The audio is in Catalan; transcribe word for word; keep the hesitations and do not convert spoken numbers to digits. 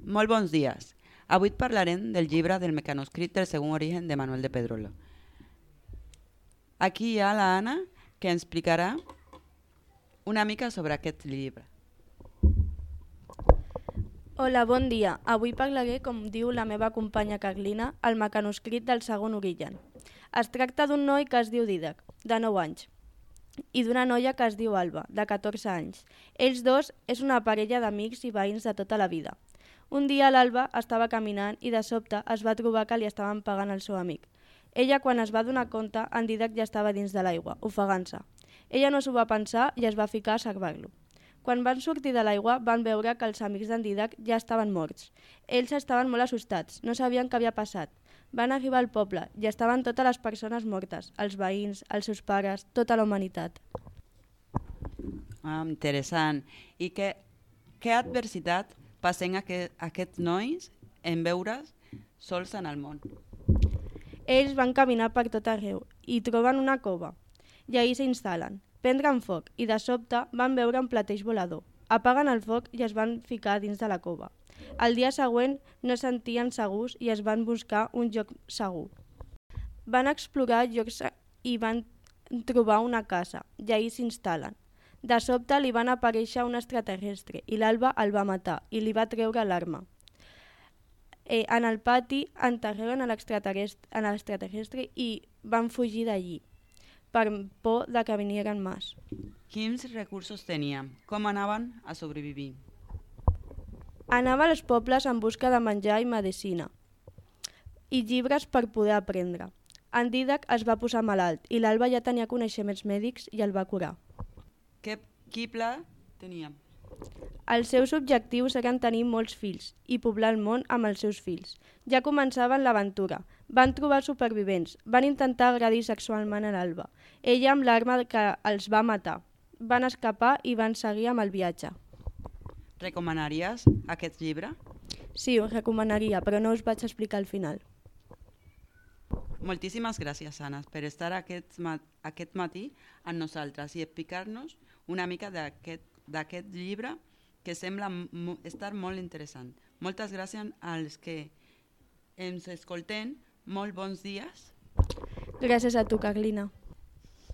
Molt bons dies. Avui parlarem del llibre del mecanoscrit del segon origen de Manuel de Pedrolo. Aquí hi ha la Anna, que ens explicarà una mica sobre aquest llibre. Hola, bon dia. Avui parlaré, com diu la meva companya Carlina, el mecanoscrit del segon origen. Es tracta d'un noi que es diu Dídac, de nou anys, i d'una noia que es diu Alba, de catorze anys. Ells dos és una parella d'amics i veïns de tota la vida. Un dia l'Alba estava caminant i de sobte es va trobar que li estaven pagant el seu amic. Ella, quan es va donar compte, en Dídac ja estava dins de l'aigua, ofegant-se. Ella no s'ho va pensar i es va ficar a salvar-lo. Quan van sortir de l'aigua van veure que els amics d'en Dídac ja estaven morts. Ells estaven molt assustats, no sabien què havia passat. Van arribar al poble i estaven totes les persones mortes, els veïns, els seus pares, tota la humanitat. Ah, interessant. I què, què adversitat passen aquest, aquests nois en veure's sols en el món? Ells van caminar per tot arreu i troben una cova. I ahir s'instal·len, prendran foc i de sobte van veure un plateix volador. Apaguen el foc i es van ficar dins de la cova. El dia següent no es sentien segurs i es van buscar un lloc segur. Van explorar llocs i van trobar una casa i ahir s'instal·len. De sobte li van aparèixer un extraterrestre i l'Alba el va matar i li va treure l'arma. Eh, en el pati enterraren l'extraterrestre, l'extraterrestre i van fugir d'allí per por de que vinieren més. Quins recursos tenien? Com anaven a sobrevivir? Anava als pobles en busca de menjar i medicina i llibres per poder aprendre. En Dídac es va posar malalt i l'Alba ja tenia coneixements mèdics i el va curar. Que, qui pla teníem? Els seus objectius eren tenir molts fills i poblar el món amb els seus fills. Ja començaven l'aventura. Van trobar supervivents. Van intentar agredir sexualment a l'Alba. Ella amb l'arma que els va matar. Van escapar i van seguir amb el viatge. Recomanaries aquest llibre? Sí, ho recomanaria, però no us vaig explicar al final. Moltíssimes gràcies, Anna, per estar aquest, mat aquest matí amb nosaltres i explicar-nos una mica d'aquest llibre que sembla estar molt interessant. Moltes gràcies als que ens escolten. Molt bons dies. Gràcies a tu, Carlina.